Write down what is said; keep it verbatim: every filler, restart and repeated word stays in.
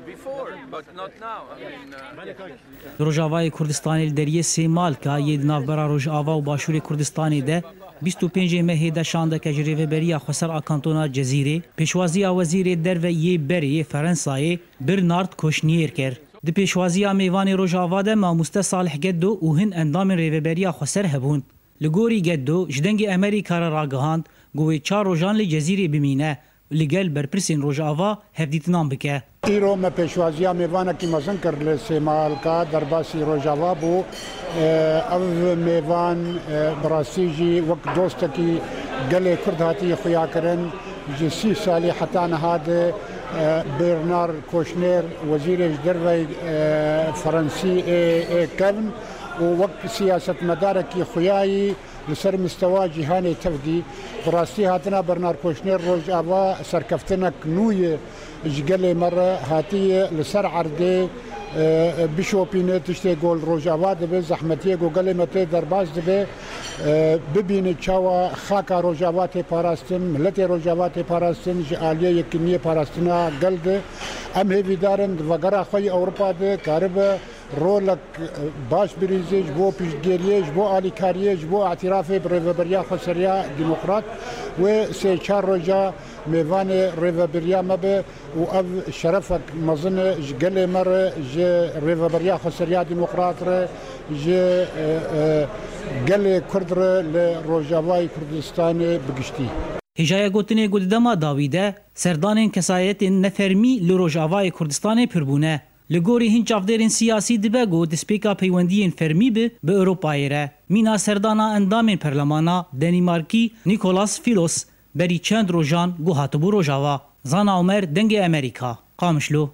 Before, but not now. I mean, uh, Li Rojavayê Kurdistanê li deriyê Sêmalka yê di navbera Rojava û Başûrê Kurdistanê de bîst û pêncê mehê de şandeke ji Rêveberiya Xweser a Kantona Cezîrê pêşwaziya Wezîrê Derve yê berê yê Ferensayê Bernard Kushner kir. Di pêşwaziya mêvanê Rojava de mamoste Salih Geddo û hin endamên Rêveberiya Xweser hebûn. Li gorî Geddo ji Dengê Amerîka re ragihand ku wê çar rojan li Cezîrê bimîne û li gel berpirsên Rojava hevdîtinan bike. Îro me pêşwaziya mêvanekî mezin kir li Sêmalka derbasî Rojava bû. Ev mêvan bi rastî jî wek dostekî gelê Kurd hatiye xuyakirin. Ji sî salî heta niha de Bernard Kushner, wezîrê ji derveyî Ferensî ê kevn û wek siyasetmedarekî xuyayî li ser mistewa cîhanê tev dî. Bi rastî hatina Bernard Kushner Rojava serkeftinek nû ye ji gelê me re, hatiye li ser erdê bişopîne tiştê ku li Rojava dibe, zehmetiyê ku gelê me tê derbas dibe, bibîne çawa xaka Rojava tê parastin, miletê Rojava tê parastin, ji aliyê yekîniyê parastina gel de. Em hêvîdar in di vegera xwe yê Ewropa de karibe rolek baş birîzê ji bo piştgiriyê, ji bo alîkariyê, ji bo îtirafê bi Rêveberiya Xweseriya Demokrat wê sê çar roja mêvanê Rêveberiya me be û ev şerefek mezin e ji gelê me re, ji Rêveberiya Xweseriya Demokrat re, ji gelê Kurd re li Rojavayê Kurdistanê bi giştî. Hêjaya gotinê ku di dema dawî de serdanên kesayetên nefermî li Rojavayê Kurdistanê pir bûne. Li gorî hin çavdêrên siyasî dibe ku destpêka peywendiyên fermî bi bi Ewropayê re. Mîna serdana endamên perlemana Denîmarkî Nicolas Filos berî çend rojan ku hatibû Rojava. Zana Omer, Dengê Amerîka, Qamişlo.